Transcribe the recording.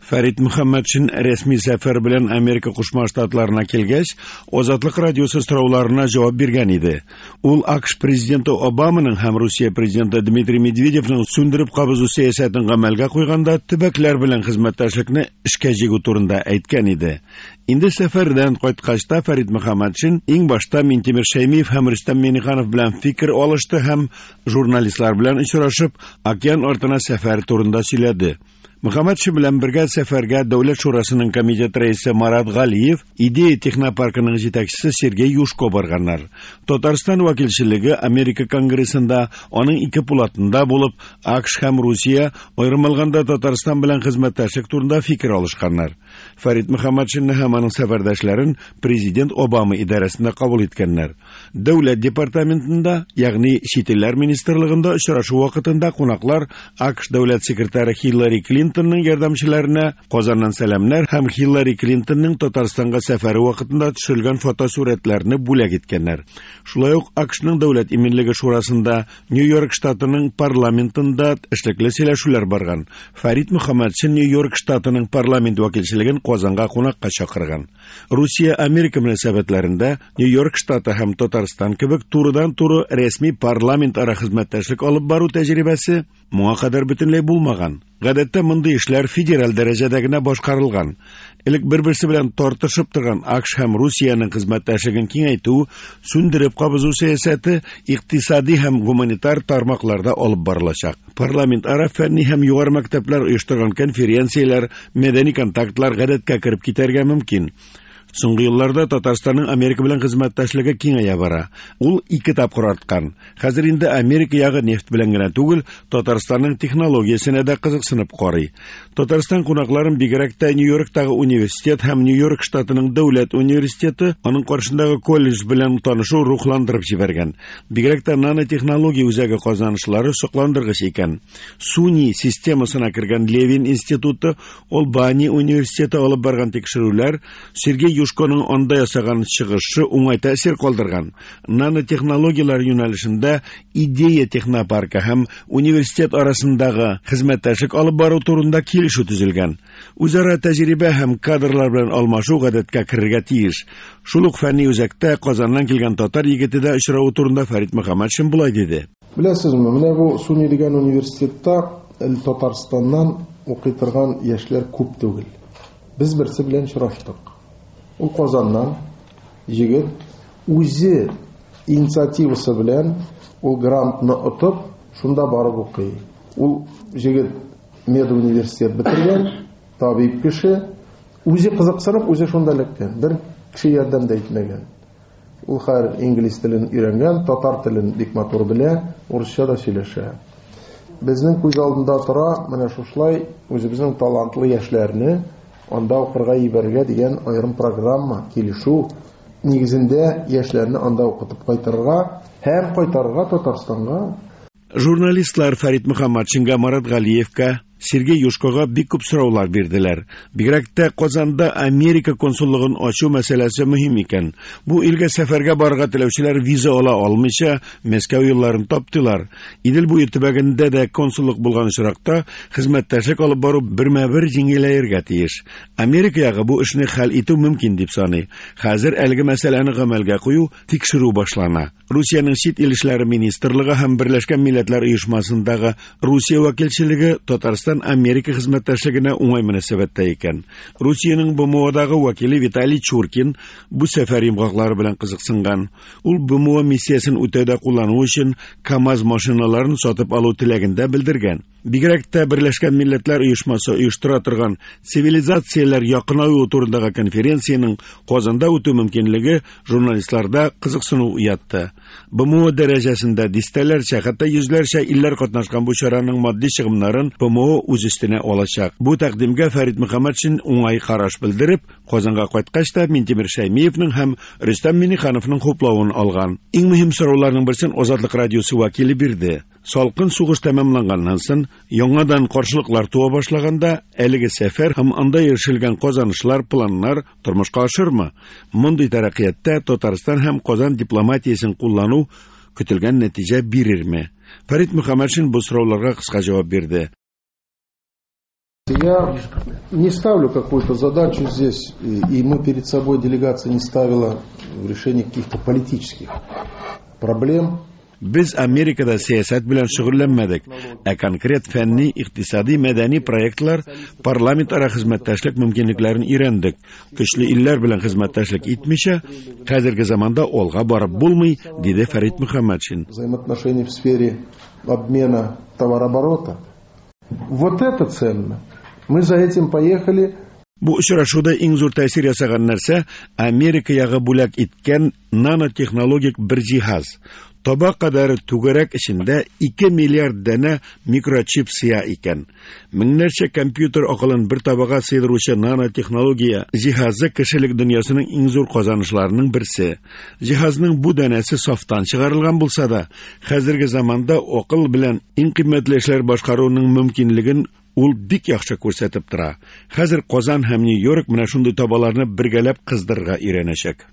Фәрит Мөхәммәтшин рәсми сәфәр белән Америка Кушма Штатларына килгәч, Азатлык радиосы сорауларына җавап биргән иде. Ул АКШ президенты Обаманың һәм Русия президенты Дмитрий Медведевның сүндереп кабызу сәясәтен гамәлгә куйганда төбәкләр белән хезмәттәшлекне эшкә җигү турында әйткән иде. Инде сәфәрдән кайткач та Фәрит Мөхәммәтшин иң башта Минтимер Шәймиев һәм Рөстәм Миңнеханов белән фикер алышты һәм журналистлар белән очрашып, океан артына сәфәр турында сөйләде. Мөхәммәтшин белән бергә сәфәргә Дәүләт шурасының комитет рәисе Марат Галиев, Идея технопаркының җитәкчесе Сергей Юшко барганнар. Татарстан вәкилчелеге Америка Конгрессында, аның ике пулатында булып, АКШ һәм Русия, аерым алганда Татарстан белән хезмәттәшлек турында фикер алышканнар. Фәрит Мөхәммәтшинны һәм аның сәфәрдәшләрен президент Обама идарәсендә кабул иткәннәр. Дәүләт департаментында, ягъни чит илләр министрлыгында очрашу вакытында кунаклар АКШ дәүләт секретаре Хиллари Клинтонның ярдәмчеләренә Казаннан сәламнәр һәм Хиллари Клинтонның Татарстанга сәфәре вакытында төшерелгән фотосурәтләрне бүләк иткәннәр. Шулай ук АКШның Дәүләт иминлеге шурасында, Нью-Йорк штатының парламентында эшлекле сөйләшүләр барган. Фәрит Мөхәммәтшин Нью-Йорк штатының парламент вәкилчелеген Казанга кунакка чакырган. Русия-Америка мөнәсәбәтләрендә Нью-Йорк штаты һәм Татарстан кебек турыдан-туры рәсми парламентара хезмәттәшлек алып бару тәҗрибәсе моңа кадәр бөтенләй булмаган. Гадәттә мондый эшләр федераль дәрәҗәдә генә башкарылган. Элек бер-берсе белән тартышып торган АКШ һәм Русиянең хезмәттәшлеген киңәйтү, сүндереп кабызу сәясәте икътисади һәм гуманитар тармакларда алып барылачак. Парламентара фәнни һәм югары мәктәпләр оештырган конференцияләр, мәдәни контактлар гадәткә кереп китәргә мөмкин. Соңгы елларда Татарстанның Америка белән хезмәттәшлеге киңәя бара. Ул ике тапкыр арткан. Хәзер инде Америка ягы нефть белән генә түгел, Татарстанның технологиясенә дә кызыксынып карый. Татарстан кунакларын бигрәк тә Нью-Йорктагы университет һәм Нью-Йорк штатының дәүләт университеты, аның каршындагы колледж белән танышу рухландырып җибәргән. Бигрәк тә нанотехнология үзәге казанышлары сокландыргыч икән. СУНИ системасына кергән Левин институты, Олбани университеты алып барган тикшерүләр Сергей Юшконың анда ясаган чыгышы уңай тәэсир калдырган. Нанотехнологияләр юнәлешендә Идея технопаркы һәм университет арасындагы хезмәттәшлек алып бару турында килешү төзелгән. Үзара тәҗрибә һәм кадрлар белән алмашу гадәткә керергә тиеш. Шул ук фәнни үзәктә Казаннан килгән татар егете дә очравы турында Фәрит Мөхәммәтшин болай диде. Беләсезме, менә бу СУНИ дигән университетта әле Татарстаннан укый торган яшьләр күп түгел. Без берсе белән очраштык. Ул Казаннан егет, үзе инициативасы белән ул грантны отып, шунда барып укый. Ул егет медуниверситет бетергән, табиб кеше, үзе кызыксынып, үзе шунда эләккән. Бер кеше ярдәм дә итмәгән. Ул хәзер инглиз телен өйрәнгән, татар телен бик матур белә, урысча да сөйләшә. Безнең күз алдында тора, менә шушылай үзебезнең талантлы яшьләрне анда укырга җибәрергә дигән аерым программа, килешү нигезендә яшьләрне анда укытып кайтырга һәм кайтарырга Татарстанга. Журналистлар Фәрит Мөхәммәтшинга, Марат Галиевка, Сергей Юшкога бик күп сораулар бирделәр. Бигрәк тә Казанда Америка консуллыгын ачу мәсьәләсе мөһим икән. Бу илгә сәфәргә барырга теләүчеләр виза ала алмыйча Мәскәү юлларын таптылар. Идел буе төбәгендә дә консуллык булган очракта хезмәттәшлек алып бару бермә-бер җиңеләергә тиеш. Америка ягы бу эшне хәл итү мөмкин дип саный. Хәзер әлеге мәсьәләне гамәлгә кую, тикшерү башлана. Русиянең чит ил эшләре министрлыгы һәм Берләшкән Милләтләр Оешмасындагы Русия вәкилчелеге Татарстан-Америка хезмәттәшлегенә уңай мөнәсәбәттә икән. Русиянең БМОдагы вәкиле Виталий Чуркин бу сәфәр йомгаклары белән кызыксынган. Ул БМО миссиясен үтәүдә куллану өчен КАМАЗ машиналарын сатып алу теләген дә белдергән. Бигрәк тә Берләшкән Милләтләр Оешмасы оештыра торган цивилизацияләр якынаюы турындагы конференциянең Казанда үтү мөмкинлеге журналистларда кызыксыну уятты. БМО дәрәҗәсендә дистәләрчә, хәтта йөзләрчә илләр катнашкан бу чараның матди чыгымнарын БМО үз өстенә алачак. Бу тәкъдимгә Фәрит Мөхәммәтшин уңай караш белдереп, Казанга кайткач та Минтимер Шәймиевның һәм Рөстәм Миңнехановның хуплавын алган. Иң мөһим сорауларның берсен Азатлык радиосы вәкиле бирде. Салкын сугыш тәмамланганнан соң, яңадан каршылыклар туа башлаганда, әлеге сәфәр һәм анда ирешелгән казанышлар, планнар тормышка ашырмы? Мондый тәрәккыятьтә Татарстан һәм Казан дипломатиясен куллану көтелгән нәтиҗә бирерме? Фәрит Мөхәммәтшин бу сорауларга кыска җавап бирде. Я не ставлю какую-то задачу здесь, и мы перед собой делегация не ставила в решении каких-то политических проблем. Без Америкада сәясәт белән шөгыльләнмәдек, ә конкрет фәнни, икътисади, мәдәни проектлар, парламентара хезмәттәшлек мөмкинлекләрен өйрәндек. Көчле илләр белән хезмәттәшлек итмичә, хәзерге заманда алга барып булмый, диде Фәрит Мөхәммәтшин. Взаимоотношения в сфере обмена товарооборота. Вот это ценно. Мы за этим поехали. Бу очрашуда иң зур тәэсир ясаган нәрсә Америка ягы бүләк иткән нанотехнологик бер җиһаз. Таба кадәр түгәрәк эчендә 2 миллиард данә микрочип сыя икән. Меңнәрчә компьютер акылын бер табага сыйдыручы нанотехнология җиһазы кешелек дөньясының иң зур казанышларының берсе. Җиһазның бу данәсе сафтан чыгарылган булса да, хәзерге заманда акыл белән иң кыйммәтле эшләр башкаруның мөмкинлеген ул бик яхшы күрсәтеп тора. Хәзер Казан һәм Нью-Йорк менә шундый табаларны бергәләп кыздырырга өйрәнәчәк.